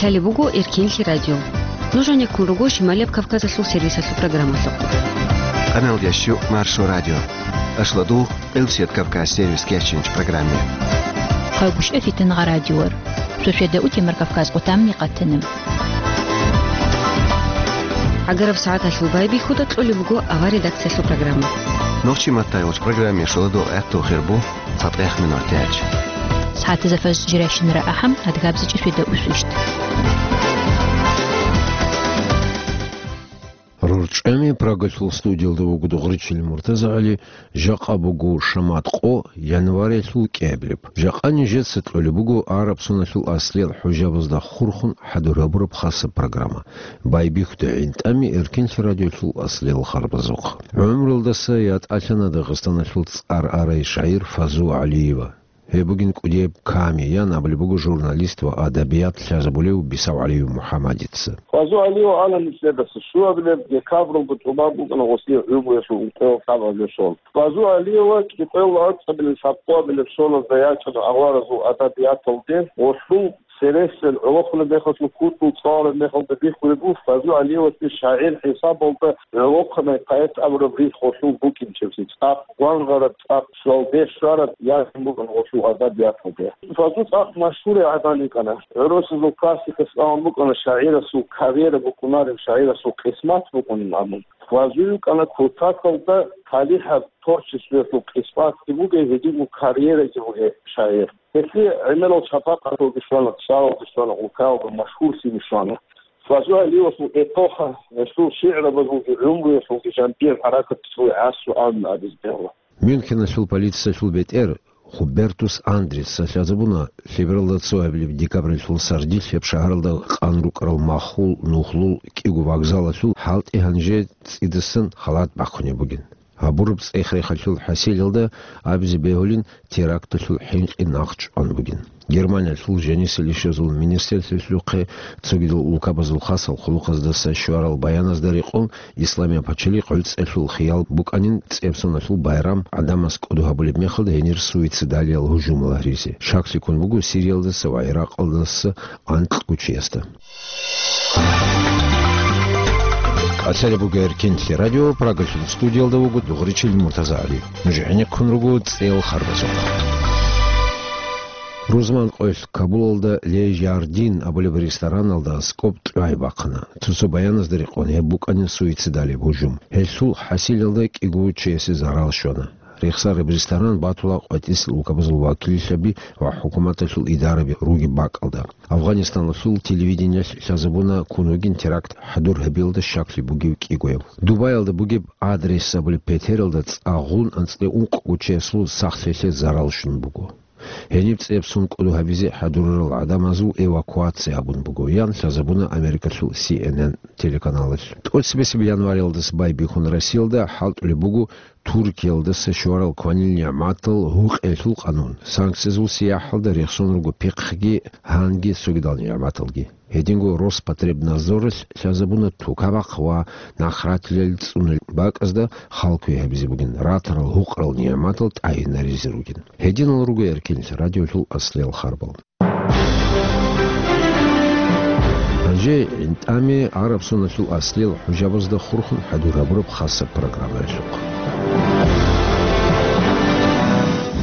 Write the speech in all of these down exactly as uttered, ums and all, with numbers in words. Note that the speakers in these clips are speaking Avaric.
Лъалеб буго Эркенлъи радио. Нуж гьанеккун руго Шималияб Кавказалъул сервисалъул программалъухъ. Къаналдящу Маршо радио. Ашладу Къилсият Кавказ сервис кечинч программе. Хъайгущ эфитан гъа радиор. Сосведа утемар Кавказ къутамни къатанам. ГӀагараб сагӀаталъул байбихьуда кьолеб буго авар редакциялъул программа. Нохчи маттайолч программе шоладо гӀехту хирбу. ЦатӀех минутач. СагӀатазда фажр жиращинара ахӀам, адгабзичӀеб светда усвищт. РорчӀами Прагалъул студиялда вуго Дугъричил МуртазагӀали, жакъа буго шамат къо, январалъул кӀиабилеб. Жакъа нижеца кьолеб буго араб соналъул аслиял хӀужабазда хурхун хӀадур гьабураб хасаб программа. Байбихьуда гӀинтӀами Эркенлъи радиолъул аслиял харбазухъ. ГӀумруялдаса ятӀалъана Дагъистаналъул цӀар арай шагӀир Фазу ГӀалиева. Гьеб бугин кӀудияб ками, ян абулеб буго журналист ва адабият лъазабулев Бисав ГӀалиев МухӀаммадица. Фазу ГӀалиев ана нилъеда цо щуабилеб декабралда тӀубан букӀана гъосие гӀумруялъул ункъоялда лъабабилеб сон. Фазу ГӀалиева кӀикъоялда анцӀабилеб лъабкъоабилеб соназда ячӀана аваразул адабияталде, гъолъул цересел гӀолохъулеб мехалъул кутул цӀалараб мехалда бихьулеб буго, Фазу ГӀалиевасде шагӀир хӀисабалда гӀолохъанай поэт абураб рихь гъолъул букӀинчебси, цӀакъ гвангъараб, цӀакъ суалде щвараб язбун букӀана гъолъул адабияталде. Фазу цӀакъ машгьурай гӀадан йикӀана. ГӀурусазул классикас абун букӀана, шагӀирасул карьера букӀунареб, шагӀирасул къисмат букӀунин абун. Фазу йикӀана кутакалда талихӀаб творчествоялъул къисматги бугей, гьединго карьераги бугей шагӀир. Гьелъие гӀемерал шапакъаталги щвана, цӀалалги щвана, улкаялда машгьурлъиги щвана. Фазу ГӀалиевасул эпоха, гьелъул шигӀрабазулги гӀумруялъулги жаниб хӀаракаталъул гӀасру абун абизе бегьула. Мюнхеналъул полициялъул бетӀер Хубертус Андреца лъазабуна, лъебералда цоабилеб декабралъул сардилъ гьеб шагьаралда къан рукӀарал махул нухлул кӀиго вокзалалъул хӀалтӀи гьанже цӀидасан халат бахъунеб бугин. Гьабураб цӀех-рехалъул хӀасилалда абизе бегьулин, теракталъул хӀинкъи нахъчӀван бугин. Германиялъул жанисел ишазул министрлъухъе цогидал улкабазул хасал хъулухъаздаса щварал баяназда рекъон, Исламияб пачалихъ гӀуцӀелъул хиял букӀанин цӀебсоналъул байрам гӀадамаз кӀодо гьабулеб мехалда гьенир суицидалиял гьужумал гьаризе. Шаклъи ккун буго Сириялдаса ва Иракъалдаса анкьго чиясда. Лъалеб буго Эркенлъи радио, Прагалъул студиялда вуго Дугъричил МуртазагӀали. Нуж гӀенеккун руго цӀел харбазухъ. Рузман къоялъ Кабулалда Ле Жардин абулеб рестораналда аскӀоб тӀагӀи бахъана. Цо-цо баяназда рекъон, гьеб букӀанин суицидалияб гьужум. Гьелъул хӀасилалда кӀиго чиясе зарал щвана. Рехсараб ресторан батула къватӀисел улкабазул вакиллъаби ва хӀукуматалъул идараби ругеб бакӀалда. Афгъанистаналъул телевидениялъ лъазабуна ккун вугин теракт хӀадур гьабиялда щаклъи бугев кӀигояв. Дубаялда бугеб Адрес абулеб петералда цӀагъун анцӀила ункъго чиясул сахлъиялъе зарал щун буго. Гьениб цӀебсун кӀодо гьабизе хӀадурарал гӀадамазул эвакуация гьабун буго, ян лъазабуна Америкалъул Си Эн Эн телеканалалъ. ТӀоцебесеб январалдаса байбихьун Россиялда хӀалтӀулеб буго Туркиялдаса щварал кванил нигӀматал гьукъиялъул къанун. Санкциязул сияхӀалда рехсон руго пихъги, гьанги цогидал нигӀматалги. Гьединго Роспотребнадзоралъ лъазабуна тукабахъ ва нахратилел цӀунулеб бакӀазда халкуе гьабизе бугин, ратарал гьукъарал нигӀматал тӀагӀинаризе ругин. Гьединал руго Эркенлъи радиолъул аслиял харбал. Гьанже гӀинтӀами араб соналъул аслиял хӀужабазда хурхун хӀадур гьабураб хасаб программаялъухъ.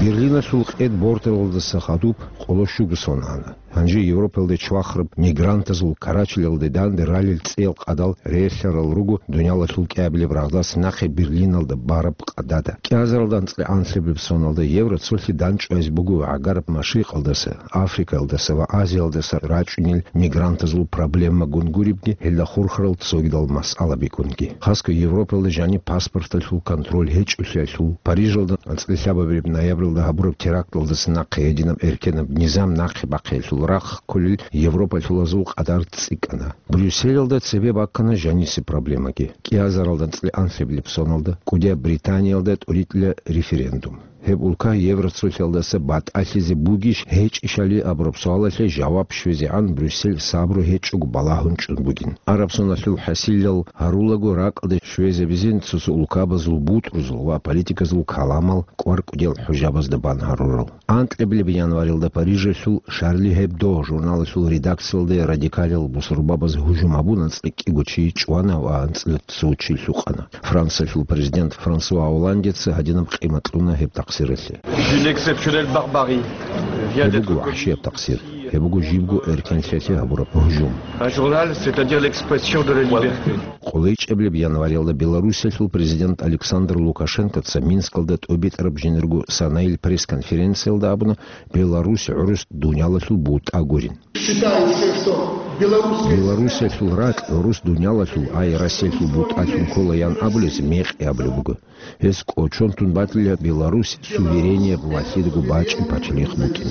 Берлиналъул къед борталалдаса хадуб къоло щуго сон ана. Гьанже Европалде чвахараб мигрантазул карачелалде данде ралел цӀел къадал релълъарал руго дуниялалъул кӀиабилеб рагъдас нахъе Берлиналда бараб къадада. КӀиазаралда анцӀила анлъабилеб соналда евро цолъи данчӀвазе буго гӀагараб Машрикъалдаса, Африкаялдаса ва Азиялдаса рачӀунел мигрантазул проблемагун гуребги, гьелда хурхарал цогидал масъалабигунги. Хасго Европалда жаниб паспорталъул контроль гьечӀолъиялъул, Парижалда анцӀила лъабабилеб ноябралда гьабураб теракталдаса нахъе гьединаб эркенаб низам нахъе бахъиялъул рахъ кколел европалъулазул къадар цӀикӀкӀана. Брюсселалда цебе баккана жанисе проблемаги. КӀиазаралда анцӀила анлъабилеб соналда кӀудияб Британиялда тӀуритӀила референдум. Гьеб улка Евроцолъиялдаса батӀалъизе бугищ гьечӀищали абураб суалалъе жаваб щвезегӀан Брюссель сабру гьечӀого балагьун чӀун бугин. Араб соналъул хӀасилал гьарулаго ракӀалде щвезабизин цо-цо улкабазул бутӀрузул ва политиказул каламал кӀвар-кӀудиял хӀужабазда бан гьарурал. Анкьабилеб январилда Парижалъул Шарли Гьебдо журналалъул редакциялде радикалил бусурбабаз гьужум гьабун анцӀила кӀиго чи чӀвана ва анцӀила цо чи лъукъана. Франциялъул президент Франсуа Олландеца гьадинаб къимат кьуна гьеб такъсиралъе. Une exceptionnelle barbarie vient Гьеб d'être буго вахӀшияб такъсир. Гьеб буго жибго эркенлъиялъе гьабураб гьужум. Un journal, c'est-à-dire l'expression de la liberté. КӀолайчӀебилеб январилда Белоруссиялъул президент Александр Лукашенкоца Минскалда тӀобитӀараб жиндирго санайил пресс-конференциялда абуна, Беларусь гӀурус дуниялалъул бутӀа гурин. Считается, что белорусская Белоруссиялъул ракь гӀурус дуниялалъул, ай Россиялъул бутӀалъун кколаян абулес мекъи абулеб буго. Гьес кӀочон тун батила Беларусь суверенияб ва лъидаго бачӀи пачалихъ букӀин.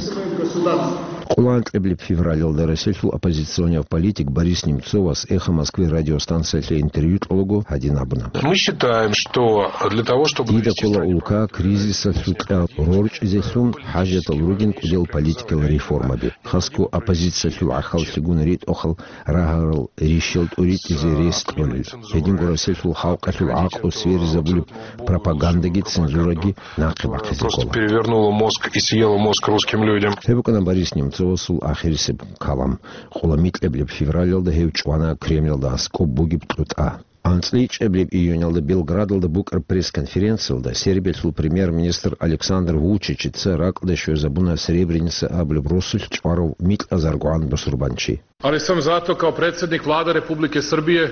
Къоло анкьабилеб февралалда Россиялъул оппозиционияв политик Борис Немцовас «Эхо Москвы» радиостанциялъе интервью кьолаго гьадин абуна. Мы считаем, что для того, чтобы Дида довести ккола страну улка кризисалъукьа рорчӀизелъун хӀажатал ругин кӀудиял политикал реформаби. Хасго оппозициялъул гӀахьаллъигун ритӀухъал рагьарал рищал тӀуритӀизе рес кьолел. Гьединго Россиялъул халкъалъул гӀакълу сверизабулеб пропагандаги цензураги нахъе бахъизе Просто ккола. Перевернула мозг и съела мозг русским людям. Гьеб букӀана Борис Немцовасул ахирисеб калам. Къоло микьабилеб февралалда гьев чӀвана Кремлалда аскӀоб бугеб кьутӀа. АнцӀила ичӀабилеб июнялда Белградалда букӀараб пресс-конференциялда Сербиялъул премьер-министр Александр Вучичица ракӀалде щвезабуна Сребреница абулеб росулъ чӀварав микьазаргогӀан бусурбанчи. Ali sam zato kao predsjednik Vlade Republike Srbije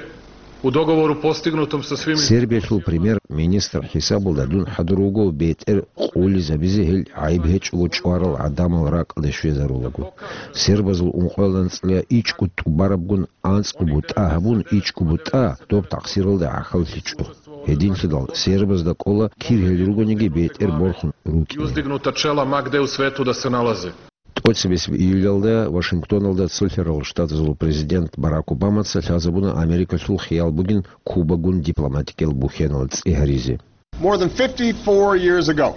u dogovoru postignutom sa svim Сербиялъул премьер-министр хӀисабалда дун хӀадур вуго бетӀер къулизабизе гьел гӀайиб гьечӀого чӀварал гӀадамал ракӀалде щвезарулаго. Сербазул ункъоялда анцӀила ичӀго тӀубарабгун анцӀго бутӀа гьабун, ичӀго бутӀа доб такъсиралда гӀахьаллъичӀо. Гьединлъидал сербазда кӀола кир гьел ругониги бетӀер борхун рукӀине. Uzdignuta čela ma gde u svetu da se nalaze. ТӀоцебесеб июлялда Вашингтоналда Цолъарал Штатазул президент Барак Обамаца лъазабуна Америкалъул хиял бугин Кубагун дипломатикиял бухьенал цӀи гьаризе. More than fifty-four years ago,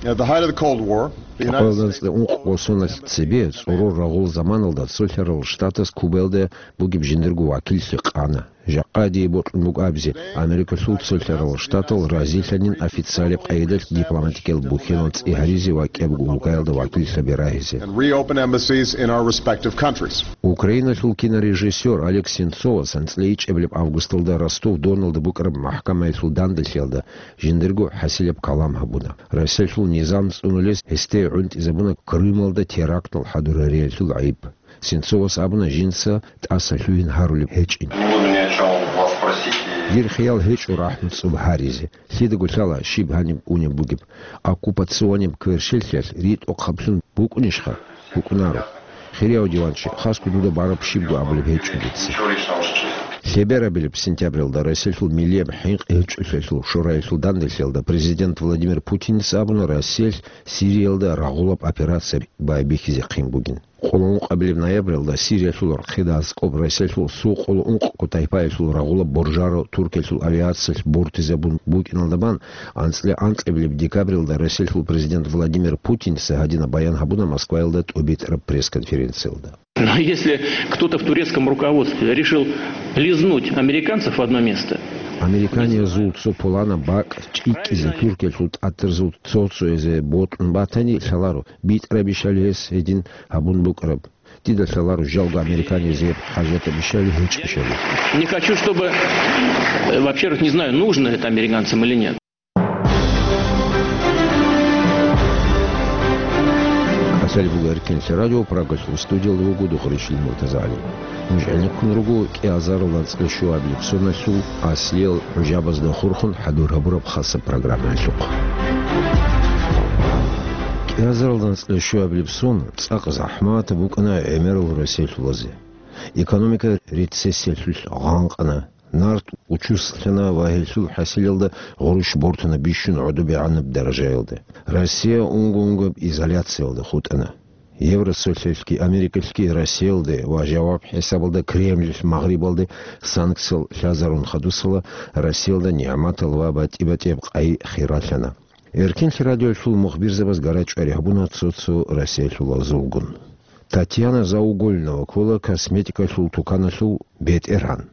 at the height of the Cold War, the United Чапаялда States анцӀила ункъго соналъ цебе, цӀорор рагъул заманалда Цолъарал Штатас Кубаялда бугеб жиндирго вакиллъи къана. Жакъа дие бокьун буго абизе, Америкалъул Цолъарал Штатал разилъанин официалаб къайдалъ дипломатикиял бухьенал цӀи гьаризе ва кӀиябго улкаялда вакиллъаби рагьизе. And reopen embassies in our respective countries. Украиналъул кинорежиссер Олег Сенцовас анцӀила ичӀабилеб августалда Ростов-Доналда букӀараб махӀкамаялъул данделъиялда жиндирго хӀасилаб калам гьабуна. Россиялъул низам цӀунулес гьесде гӀунтӀизабуна Крымалда терактал хӀадурариялъул гӀайиб. Сенцовас абуна жинца тӀаса лъугьин гьарулеб гьечӀин. Не буду ни о чём вас просить и Дир хиял гьечӀо рахӀму цӀоб гьаризе. Лъидаго лъала щиб гьаниб унеб бугеб. Оккупационияб кверщелъиялъ ритӀухъаблъун букӀунищха? БукӀунаро. Хирияв диванчи, хасго дуда бараб щибго абулеб гьечӀо дица. Ничего личного, что Лъеберабилеб сентябралда Россиялъул миллияб хӀинкъи гьечӀолъиялъул шораялъул данделъиялда президент Владимир Путинца абуна Россиялъ Сириялда рагъулаб операция байбихьизехъин бугин. Къоло ункъабилеб ноябралда Сириялъул рахъида аскӀоб Россиялъул сул къоло ункъго тайпаялъул рагъулаб боржаро Туркиялъул авиациялъ бортизабун букӀиналда бан, анцӀила анкьабилеб декабралда Россиялъул президент Владимир Путинца гьадинаб баян гьабуна Москваялда тӀобитӀараб пресс-конференциялда. Но если кто-то в турецком руководстве решил лизнуть американцев в одно место, Американиязул цо пуланаб бакӀ чӀикӀкӀизе Туркиялъул тӀатарзул цо-цоязе бокьун батани, лъаларо, битӀарабищали гьес гьедин гьабун букӀараб. Дида лъаларо жалго американиязе гьеб хӀажатабищали гьечӀищали. Не хочу, чтобы, э, во-первых, не знаю, нужно это американцам или нет. Асали буго Эркинлъи радио, Прагалъул студиялда вуго Духричил МуртазагӀалиев. Нуж гӀенеккун руго кӀиазарал анцӀила щуабилеб соналъул аслиял гӀужабазда хурхун хӀадур гьабураб хасаб программаялъухъ. КӀиазарал анцӀила щуабилеб сон цӀакъ захӀматаб букӀана гӀемерал Россиялъулазе. Экономика рецессиялъулъ гъанкъана. Нарт учуслъана ва гьелъул хӀасилалда гъурущ бортана бищун гӀодобегӀанаб даражаялда. Россия унго-унгояб изоляциялда хутӀана. Евросоюзалъги Америкалъги Россиялде ва жаваб хӀисабалда Кремлилъ Магърибалде санкциял лъазарун хадусала, Россиялда нигӀматал ва батӀи-батӀияб къай хиралъана. Эркинлъи радиоялъул мухбирзабаз гара-чӀвари гьабуна цо-цо Россиялъул азулгун. Татьяна Заугольнова ккола косметикалъул туканалъул бетӀергьан.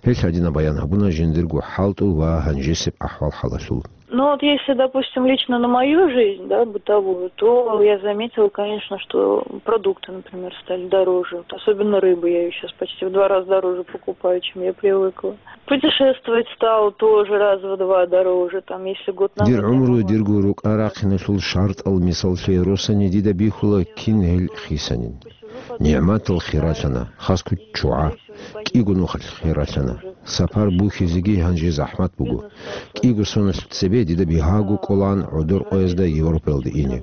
Гьелъ гьадинаб баян гьабуна жиндирго хӀалтӀул ва гьанжесеб ахӀвал-хӀалалъул. Ну вот если, допустим, лично на мою жизнь, да, бытовую, то я заметила, конечно, что продукты, например, стали дороже. Вот особенно рыбу я сейчас почти в два раза дороже покупаю, чем я привыкла. Путешествовать стало тоже раз в два дороже, там, если год назад... Дир гӀумру дирго рукӀа рахъиналъул шартӀал мисаллъи росани дида бихьула кин гьел хисанин. НигӀматал хиралъана, хасго чугӀа, кӀиго нухалъ хиралъана. Сапар бухьизеги гьанже захӀмат буго. КӀиго соналъ цебе дида бигьаго кӀолаан гӀодор къоязда Европаялде ине.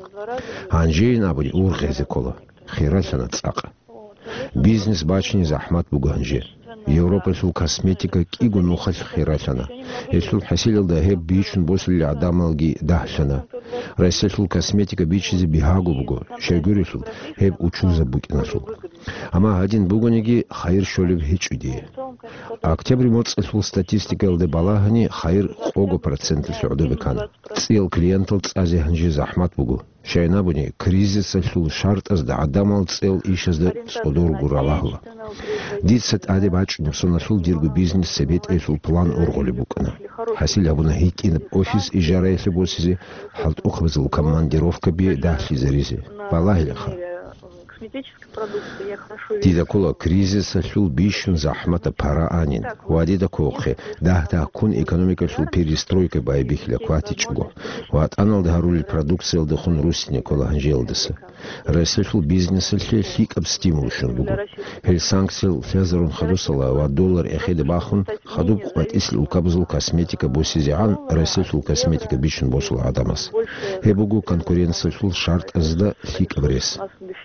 Гьанжейин абуни ургъезе ккола. Хиралъана цӀакъ. Бизнес бачине захӀмат буго гьанже. Европалъул косметика кӀиго нухалъ хиралъана. Гьелъул хӀасилалда гьеб бичун босулел гӀадамалги дагьлъана. Россиялъул косметика бичизе бигьаго буго, щайгурелъул гьеб учузаб букӀиналъул. Амма гьадин бугониги, хайир щолеб гьечӀо дие. Октябрь моцӀалъул статистикаялда балагьани, хайир къого процентлъи гӀодобе ккана. ЦӀиял клиентал цӀазе гьанже захӀмат буго. Щайин абуни, кризисалъул шартӀазда гӀадамал цӀел ишазда цӀодорго ралагьула. Дица тӀаде бачӀунеб соналъул дирго бизнес цебетӀеялъул план ургъулеб букӀана. ХӀасил гьабуна гьитӀинаб офис ижараялъе босизе, хӀалтӀухъабазул командировкаби дагьлъизаризе. Балагьилаха. Дида ккола кризисалъул бищун захӀматаб пара анин ва дида кколахъе дагь-дагьккун экономикалъул перестройка байбихьила кватичӀого. ВатӀаналда гьарулел продукциялдехун руссине ккола гьанжеялдаса. Россиялъул бизнесалъе лъикӀаб стимул щун буго. Гьел санкциял лъазарун хадусала ва доллар эхеде бахун, хадуб къватӀисел улкабазул косметика босизегӀан Россиялъул косметика бичун босула гӀадамаз. Гьеб буго конкуренциялъул шартӀазда лъикӀаб рес.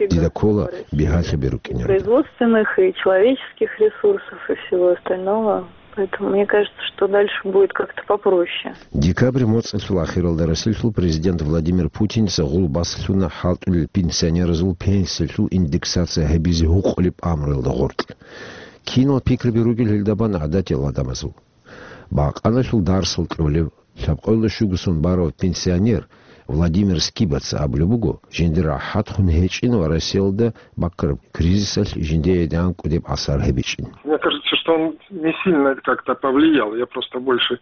Дида ккола бигьалъаби рукӀинегӀан. Производственных и человеческих ресурсов и всего остального. Поэтому мне кажется, что дальше будет как-то попроще. Декабрь моцӀалъул ахиралда Россиялъул президент Владимир Путиница гъул баслъуна хӀалтӀулел пенсионеразул пенсиялъул индексация гьабизе гьукъулеб амруялда гъоркь. Кинал пикраби ругел гьелда бан гӀадатиял гӀадамазул? Бакъаналъул дарсал кьолев, лъабкъоялда щуго сон барав пенсионер Владимир Скибаца абулеб буго, жиндир рахӀатхъун гьечӀин ва Россиялда баккараб кризисалъ жиндие гӀанкӀудеб асар гьабичӀин. Мне кажется, что он не сильно как-то повлиял. Я просто больше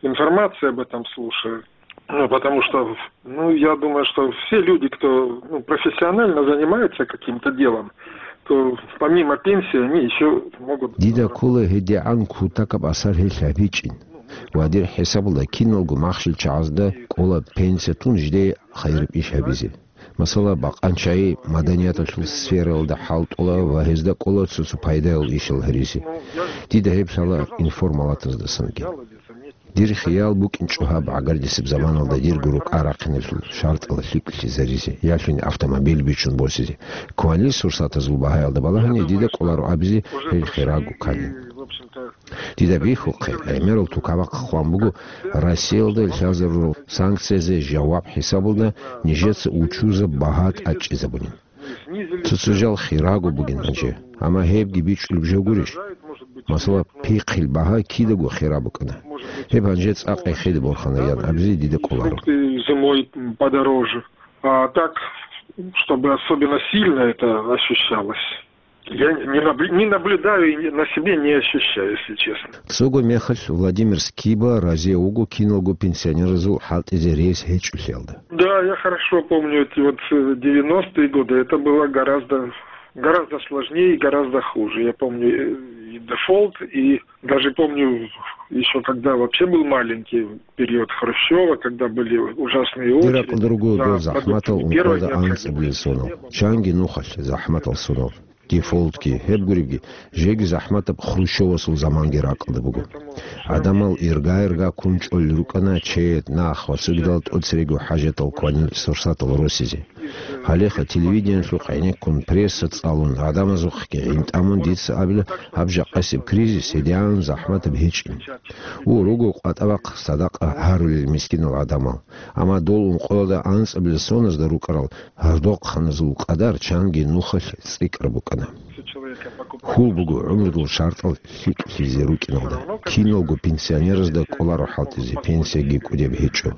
информации об этом слушаю. Ну, потому что, ну, я думаю, что все люди, кто, ну, профессионально занимается каким-то делом, то помимо пенсии они еще могут... Дида ккола гьедигӀан кутакаб асар гьелъ гьабичӀин. Ва дир хӀисабалда киналго махщел чагӀазда кӀола пенсия тун жидее хайираб иш гьабизе. Масала, бакъанчагӀи маданияталъул сфералда хӀалтӀула ва гьезда кӀола цо-цо пайдаял ишал гьаризе. Дида гьеб лъала информалатаздасанги. Дир хиял букӀинчӀо гьаб гӀагардисеб заманалда дирго рукӀа рахъиналъул шартӀал лъикӀлъизаризе, ялъуни автомобиль бичун босизе. Кванил сурсатазул багьаялда балагьани дида кӀоларо абизе гьел хирагу ккани. Дида бихьухъе, гӀемерал тукабахъ хъван буго, Россиялда лъазарурал санкциязе жаваб хӀисабалда нижеца учузаб багьа тӀадчӀизабунин. Цо-цо жал хирагу бугин гьанже, амма гьебги бичӀчӀулеб жо гурищ? Масала, пихъил багьа кидаго хира букӀана. Гьеб гьанже цӀакъ эхеде борхана ян абизе дида кӀоларо. Фрукты зимой подороже. А так, чтобы особенно сильно это ощущалось, я не набл-, не наблюдаю и на себе не ощущаю, если честно. Цого мехалъ Владимир Скиба разие вуго киналго пенсионеразул хӀалтӀизе рес гьечӀолъиялда. Да, я хорошо помню эти вот, э, девяностые годы. Это было гораздо, гораздо сложнее и гораздо хуже. Я помню, э, и дефолт, и даже помню, еще когда вообще был маленький, период Хрущева, когда были ужасные очереди. Дир ракӀалда руго дол захӀматал ункъоялда анцӀабилел сонал. Чанги нухалъ захӀматал сонал. Дефолтги, гьеб гуребги, жеги захӀматаб Хрущевасул заманги ракӀалда буго. ГӀадамал ирга-ирга ккун чӀолел рукӀана чед, нах ва цогидал тӀоцереги хӀажатал кванил сурсатал росизе. Гьалеха телевидениелъухъ гӀенеккун, пресса цӀалун, гӀадамазухъги гӀин тӀамун дица абила, гьаб жакъасеб кризис гьедигӀан захӀматаб гьечӀин. Гьу, руго къватӀа-бахъ садакъа гьарулел мискинал гӀадамал. Амма дол ункъоялда анцӀабилел соназда рукӀарал гьардохъаназул къадар чанги нухалъ цӀикӀкӀар букӀана. Хьул буго гӀумрудул шартӀал лъикӀлъизе рукӀиналда. Кин Киналго пенсионеразда кӀоларо хӀалтӀизе, пенсияги кӀудеб гьечӀо.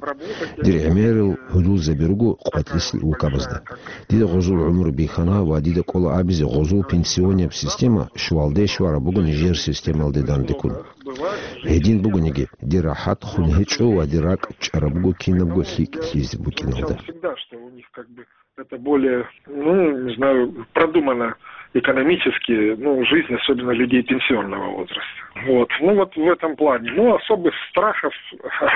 Дир гӀемерал гьудулзаби руго къватӀлъисел улкабазда. Дида гъозул гӀумру бихьана ва дида кӀола абизе, гъозул пенсионияб система щвалде-щвараб буго нижер системалде дандеккун. Гьедин бугониги, дир рахӀат хун гьечӀо ва дир ракӀ чӀараб буго кинабго лъикӀ лъизе букӀиналда. Это более, ну, не знаю, продумано экономически, ну, жизнь, особенно людей пенсионного возраста. Вот. Ну, вот в этом плане. Ну, особых страхов,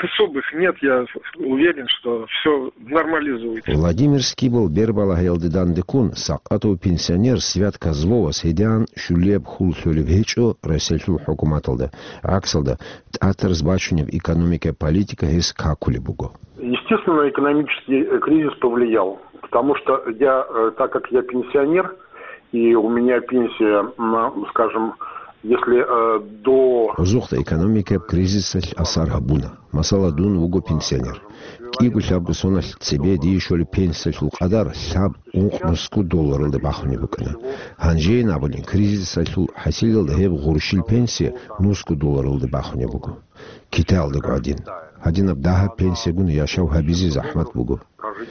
особых нет. Я уверен, что все нормализуется. Владимир Скибл бербалагьиялде дандеккун, Сакъатов пенсионер Свят Козловас гьедин щулияб хьул лъолеб гьечӀо Россиялъул хӀукуматалда. ГӀаксалда, тӀатараз бачунеб экономикаяб политика гьес какулеб буго. Естественно, экономический, э, кризис повлиял, потому что я, э, так как я пенсионер, и у меня пенсия, м, скажем, если, э, до Гъозухъа экономикаяб кризисалъ асар гьабуна. Масала, дун вуго пенсионер. КӀиго-лъабго соналъ цебе дие щолеб пенсиялъул къадар лъаб-ункъ-нусго долларалда бахунеб букӀана. Гьанжейин абуни, кризисалъул хӀасилалда гьеб гъурщил пенсия нусго долларалда бахунеб буго. Китаялдаго гӀадин. Гьадинаб дагьаб пенсиягун яшав гьабизе захӀмат буго.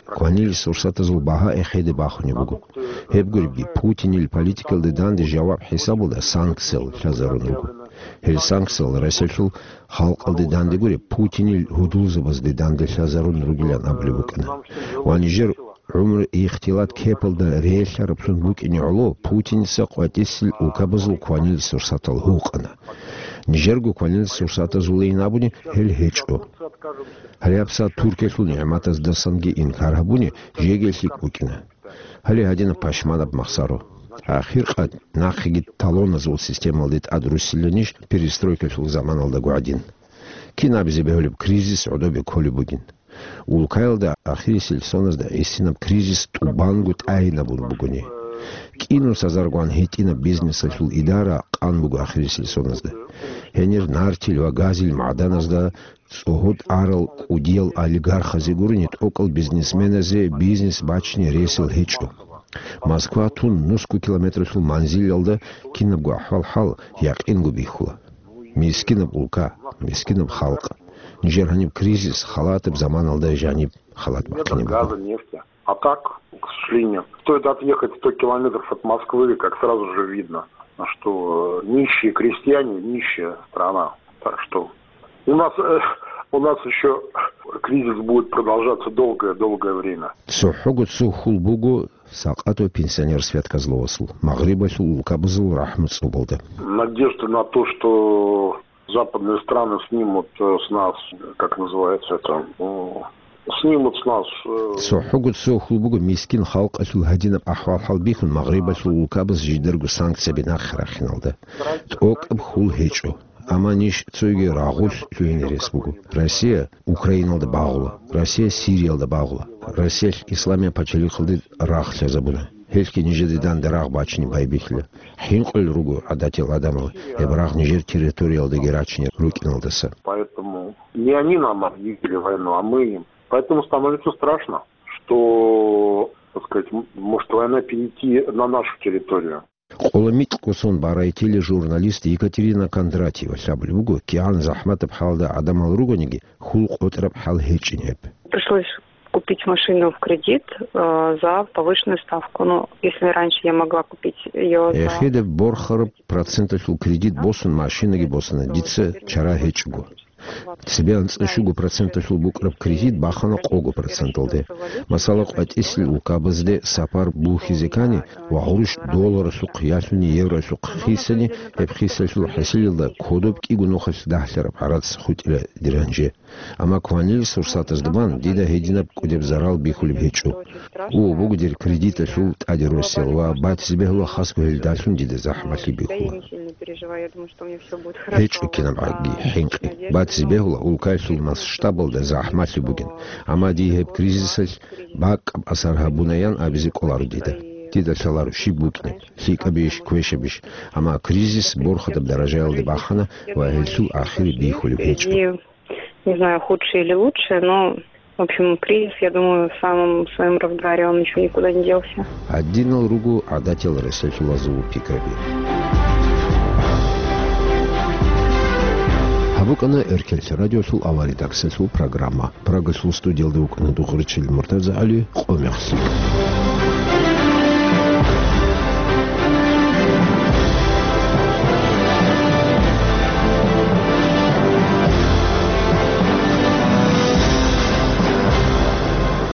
Кванил сурсатазул багьа эхеде бахунеб буго. Гьеб гуребги, Путинил политикалде данде жаваб хӀисабалда санкциял лъазарун руго. Гьел санкциял Россиялъул халкъалде данде гуреб, Путинил гьудулзабазде данде лъазарун ругилан абулеб букӀана. Ва нижер гӀумру ихтилат кепалда релълъараблъун букӀине гӀоло Путиница къватӀисел улкабазул кванил сурсатал гьукъана. Нижерго кванил сурсатазулейин абуни гьел гьечӀо. Гьале гьабсагӀат Туркиялъул нигӀматаздасанги инкар гьабуни жеги лъикӀ букӀина. Гьале гьадинаб пашманаб махсаро. Ахиркъад нахъеги талоназул системалде тӀад руссиланищ перестройкалъул заманалдаго гӀадин? Кин абизе бегьулеб, кризис гӀодобе кколеб бугин. Улкаялда ахирисел соназда гӀисинаб кризис тӀубанго тӀагӀинабун бугони. КӀинусазаргун гьитӀинаб бизнесалъул идара къан буго ахирисел соназда. Гьенир нартил ва газил магӀданазда цӀогьо тӀарал кӀудиял олигархазе гурони тӀокӀал бизнесменазе бизнес бачине ресал гьечӀо. Москва тун нусго километралъул манзилалда кинабго ахӀвал-хӀал якъинго бихьула. Мискинаб улка, мискинаб халкъ. Нижер гьаниб кризис халатаб заманалда жаниб халат бахъине буго. Газа, нефти. А так, к сожалению, стоит отъехать сто километров от Москвы, как сразу же видно, что, э, нищие крестьяне, нищая страна. Так что у нас, э, у нас ещё кризис будет продолжаться долгое-долгое время. ЦохӀого цо хьул буго Сакъатов пенсионер Свят Козловасул, Магърибалъул улкабазул рахӀму цӀубалда. Надежда на то, что западные страны снимут, э, с нас, как называется это, м, снимут с нас, э, ЦохӀого цо хьул буго мискин халкъалъул гьадинаб ахӀвал-хӀал бихьун Магърибалъул улкабаз жидарго санкцияби нахъе рахиналда. ТӀокӀаб хьул гьечӀо. Амма ниж цоги рагъулъ лъугьине рес буго. Россия Украиналда багъула, Россия Сириялда багъула, Россиялъ Исламияб пачалихъалде рагъ лъазабуна. Гьелъги нижеде данде рагъ бачине байбихьила. ХӀинкъулел руго гӀадатиял гӀадамал гьеб рагъ нижер территориялдаги рачине рукӀиналдаса. Поэтому не они нам объявили войну, а мы им. Поэтому становится страшно, что, так сказать, м-, может война перейти на нашу территорию. Къоло микьго сон барай тележурналист Екатерина Кондратьева лъабулеб буго, кигӀан захӀматаб хӀалда гӀадамал ругониги, хьул къотӀараб хӀал гьечӀин гьеб. Пришлось купить машину в кредит, э, за повышенную ставку. Ну, если раньше я могла купить её за Эхеде борхараб проценталъул кредит босун машинаги босана, дица чара гьечӀого. Цебе анцӀа щуго проценталъул букӀараб кредит бахана къого проценталде. Масала, къватӀисел улкабазде сапар бухьизе ккани ва гъурущ долларалъухъ ялъуни евролъухъ хисани, гьеб хисалъул хӀасилалда кодоб кӀиго нухалъ дагьлъараб гӀарац хутӀила дир гьанже. Амма кванил сурсатазда бан дида гьединаб кӀудеб зарал бихьулеб гьечӀо. О, буго дир кредиталъул тӀаде росел ва батизе бегьула хасго гьелдалъун дида захӀмалъи бихьула. ГьечӀо кинаб гӀаги хӀинкъи. Батизе бегьула улкаялъул масштабалда захӀмалъи бугин. Амма дие гьеб кризисалъ бакӀаб асар гьабунаян абизе кӀоларо дида. Дида лъаларо щиб букӀинеб, лъикӀабищ, квешабищ. Амма кризис борхатаб даражаялде бахана ва гьелъул ахири бихьулеб гьечӀо. Не знаю, худшее или лучшее, но, в общем, кризис, я думаю, в самом своём разгаре, он ещё никуда не делся. Гьадинал руго гӀадатиял ресалъулазул пикраби. БукӀана Эркенлъи радиолъул авария таксалъул программа. Прагалъул студиялда вукӀана Дугъричил МуртазагӀали, къо мехлъи.